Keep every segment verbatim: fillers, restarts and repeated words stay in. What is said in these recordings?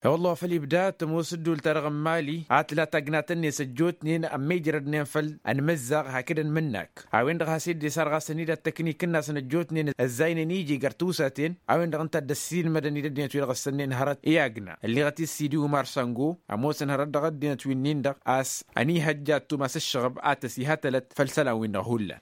E-wălla wa făl ibda tămoos ǝddul-ta-dăɣ n-mali a tǝla tagnat-net ăjjootnen ămmijrădnen făll-ănmǝzzaɣ hakd ănmǝnnak a-wen-dăɣ has-e-dd-isarɣasăn-dd ad-tăknikǝnnasăn ăjjootnen ăzzaynen iji găr tiwsaten a-wen-dăɣ ǝnta a dd-ăssiilmădăn-dd ăddinăt-wi-dăɣ ǝssănnen hărăt i-agna. Ǝlliɣăt-dd sidi umar sango ămoosăn hărăt dăɣ-ăddinăt wi-nin-dăɣ a-s ănihăjja ad-tumas ǝššăɣăb a tăs-iha tălăt făll-isălan-win-dăɣ hullan.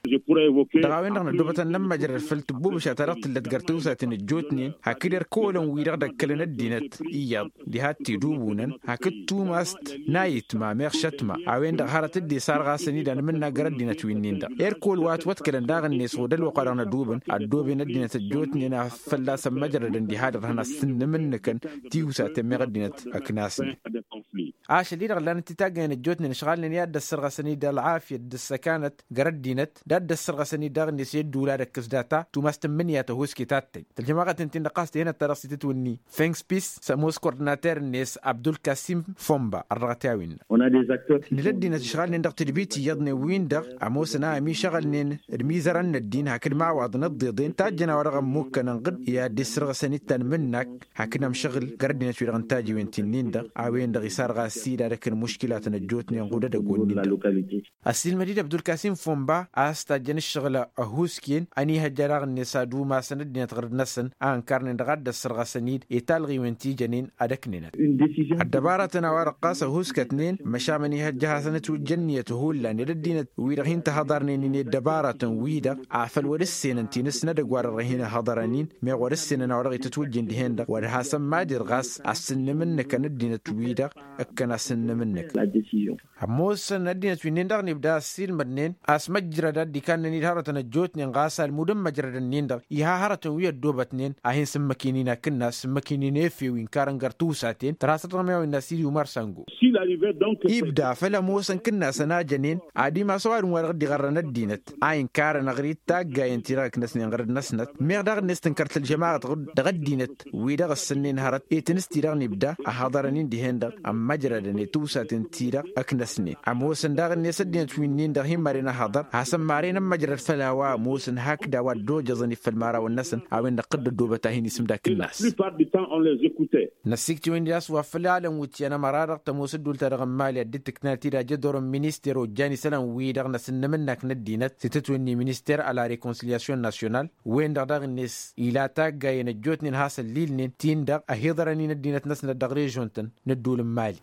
Dăɣ-a-wen-dăɣ năddoobăt ad-nămmăjrăd făll-tǝbbubǝša-ta-dăɣ tǝllăt găr tiwsaten ăjjootnen hakd erk'-olăn wi-dăɣ d-ăkkălăn ăddinăt iyyăḍ diha t-idubunăn hakd tumast n-ayǝtma meɣ šătma a-wen-dăɣ hărăt dd-isarɣasăn-dd anmǝnna găr ăddinăt wi-nin-dăɣ. Erk'-ol wa ătwăḍkălăn daɣ-net ɣud ălwăqq-wa-dăɣ nădubǝn ăddooben ăddinăt ăjjootnen a fălla-s ămmăjrădăn diha dăr-hăn ad-sǝnnǝmǝnnǝkăn tiwsaten meɣ ăddinăt ăknasnen. Ašăl-i-dăɣ ǝllanăt titaggăyăn ăjjootnen ǝšɣalnen i-ad-dd-ăssărɣăsăn-dd ălɣafyăt d-ǝssăkanăt găr ăddinăt d-ad-dd-ăssărɣăsăn-dd daɣ-net i-ădduul ad-ăkkǝs data tumas tǝmmǝnǝya tăhoske tattăy tălžămaɣăt-en-tin-dăɣ ɣas tihănăt-ta-dăɣ s-itǝtwǝnni fănks pis s-ămoos kordinater-net abdulkasim fomba ărrăɣăt i-a-wen-năɣ. Nǝla ăddinăt ǝšɣalnen dăɣ-tǝdbit iyyăḍnen-win-dăɣ ămoosăn a ămišăɣălnen d-imizărăn n-ăddin hakd imawaḍăn ǝḍḍeḍen tajjăn a-wa dăɣ-ămmukkănăn ɣǝd i-ad-dd-issărɣăsăn-dd tanmǝnnak hakd amšăɣǝl găr ăddinăt-wi-dăɣ n-tajǝwen ti-nin-dăɣ a-wen-dăɣ isarɣas-dd ad-ăkk n-muškilatăn ăjjootnen ɣud edăgg-wǝnnin-dăɣ. Ăssiilmăd-dd abdulkasim fomba a-s tajjăn ǝššăɣǝl ăhuusken ănihăjja daɣ-net ad-umasăn ăddinăt ɣǝrǝd-năsăn a ǝnkarnen dăɣ-ad-dd-ăssărɣăsăn-dd i-talɣiwen ti jănen ad-ăknenăt. Ăddăbaratăn a-wa-dăɣ ɣas ăhuuskătnen măšan ănihăjja ad-hasăn-ătwǝjja ǝnniyăt hullan ed ăddinăt-wi-dăɣ hin-tăhăḍarnen-in i-ăddăbaratăn-wi-dăɣ a făl wăr-ǝssenăn ti n-ǝssin edăgg wa dăɣ-hin-ăhăḍărăn-in meɣ wăr-ǝssenăn a-wa dăɣ-itǝtwǝjjǝn dihen-dăɣ wăr hasăn-mad-irɣas ad-sǝnnǝmǝnnǝkăn ăddinăt-wi-dăɣ ǝkkăn ad-sǝnnǝmǝnnǝkăn. Ămoosăn ăddinăt wi-nin-dăɣ n-ibda ăssiilmădnen a-s măjrăd ad-dd-ikannen-dd hărătăn ăjjootnen ɣas almud n-măjrădăn-nin-dăɣ iha hărătăn wi ăddoobătnen a hin-sǝmmăk-in-in akǝnnas sǝmmăk-in-in efew inkărăn găr-tiwsaten tărha săr-dăɣ meɣ a-wa innă sidi umar sango. Ibda făl ămoosăn kǝnnasăn a jănen ad-imas ăwadǝm wa dăɣ-dd-iɣărrăn ăddinăt a inkarăn aɣrǝy d-taggayen-ti-dăɣ ǝknăsnen ɣărăd-năsnăt meɣ daɣ-net tǝnkăr tălžămaɣăt dăɣ-ăddinăt wi-dăɣ ǝssǝnnen hărăt i-tinǝs-ti-dăɣ n-ibda ăhhăḍărăn-in dihen-dăɣ ămmăjrădăn i-tiwsaten-ti-dăɣ ǝknăsnen ămoosăn daɣ-net ăddinăt wi-nin-dăɣ hin-maren ăhhăḍăr hasăn-maren ămmăjrăd făll-a-wa ămoosăn hakd a-wa ăddojăẓăn i-făll-imărawăn-năsăn a-wen-dăɣ tǝdd-ăddoobăt a hin-isǝmdakǝnnas. Năssiiktǝwăn-dd a-s wa făl alăn wǝtyan ămăra-dăɣ tămoos ăddul-ta-dăɣ n-mali ad-dd-tǝknat-dd ajădor n-minister ojjan isălan-wi-dăɣ n-asǝnnǝm-năk n-ăddinăt s-itǝtwǝnni minister a la rekonsilyasyon nasyonal wen-dăɣ daɣ-net ila taggayen ăjjootnen has-ăllilnen tin-dăɣ ăhiḍărăn-in ăddinăt-năsnăt dăɣ-režon-tăn n-ăddul n-mali.